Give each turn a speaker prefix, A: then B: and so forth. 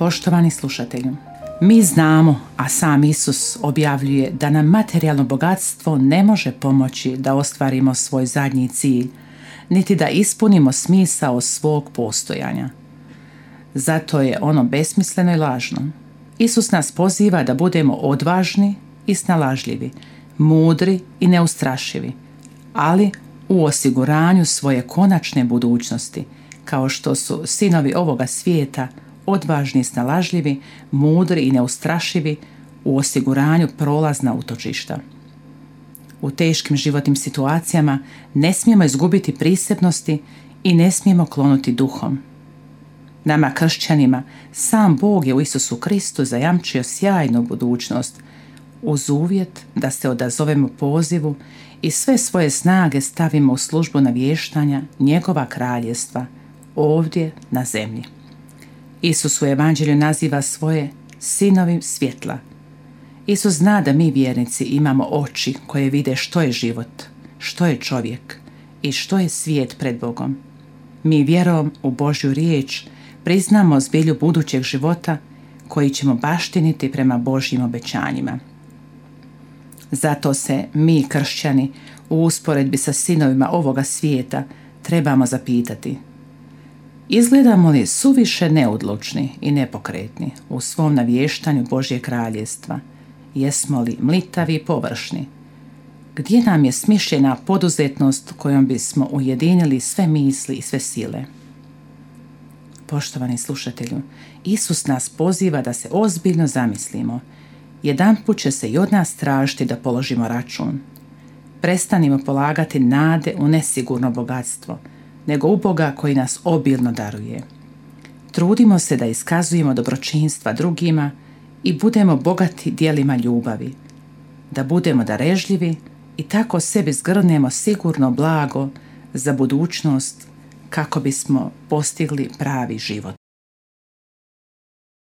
A: Poštovani slušatelju, mi znamo, a sam Isus objavljuje da nam materijalno bogatstvo ne može pomoći da ostvarimo svoj zadnji cilj, niti da ispunimo smisao svog postojanja. Zato je ono besmisleno i lažno. Isus nas poziva da budemo odvažni i snalažljivi, mudri i neustrašivi, ali u osiguranju svoje konačne budućnosti, kao što su sinovi ovoga svijeta odvažni i snalažljivi, mudri i neustrašivi u osiguranju prolazna utočišta. U teškim životnim situacijama ne smijemo izgubiti prisebnosti i ne smijemo klonuti duhom. Nama kršćanima sam Bog je u Isusu Kristu zajamčio sjajnu budućnost uz uvjet da se odazovemo pozivu i sve svoje snage stavimo u službu navještanja njegova kraljevstva ovdje na zemlji. Isus u Evanđelju naziva svoje sinovi svjetla. Isus zna da mi vjernici imamo oči koje vide što je život, što je čovjek i što je svijet pred Bogom. Mi vjerom u Božju riječ priznamo zbilju budućeg života koji ćemo baštiniti prema Božjim obećanjima. Zato se mi, kršćani, u usporedbi sa sinovima ovoga svijeta trebamo zapitati: izgledamo li suviše neodlučni i nepokretni u svom navještanju Božje kraljevstva? Jesmo li mlitavi i površni? Gdje nam je smišljena poduzetnost kojom bismo ujedinili sve misli i sve sile? Poštovani slušatelju, Isus nas poziva da se ozbiljno zamislimo. Jedanput će se i od nas tražiti da položimo račun. Prestanimo polagati nade u nesigurno bogatstvo, nego u Boga koji nas obilno daruje. Trudimo se da iskazujemo dobročinstva drugima i budemo bogati djelima ljubavi, da budemo darežljivi i tako sebi zgrnemo sigurno blago za budućnost kako bismo postigli pravi život.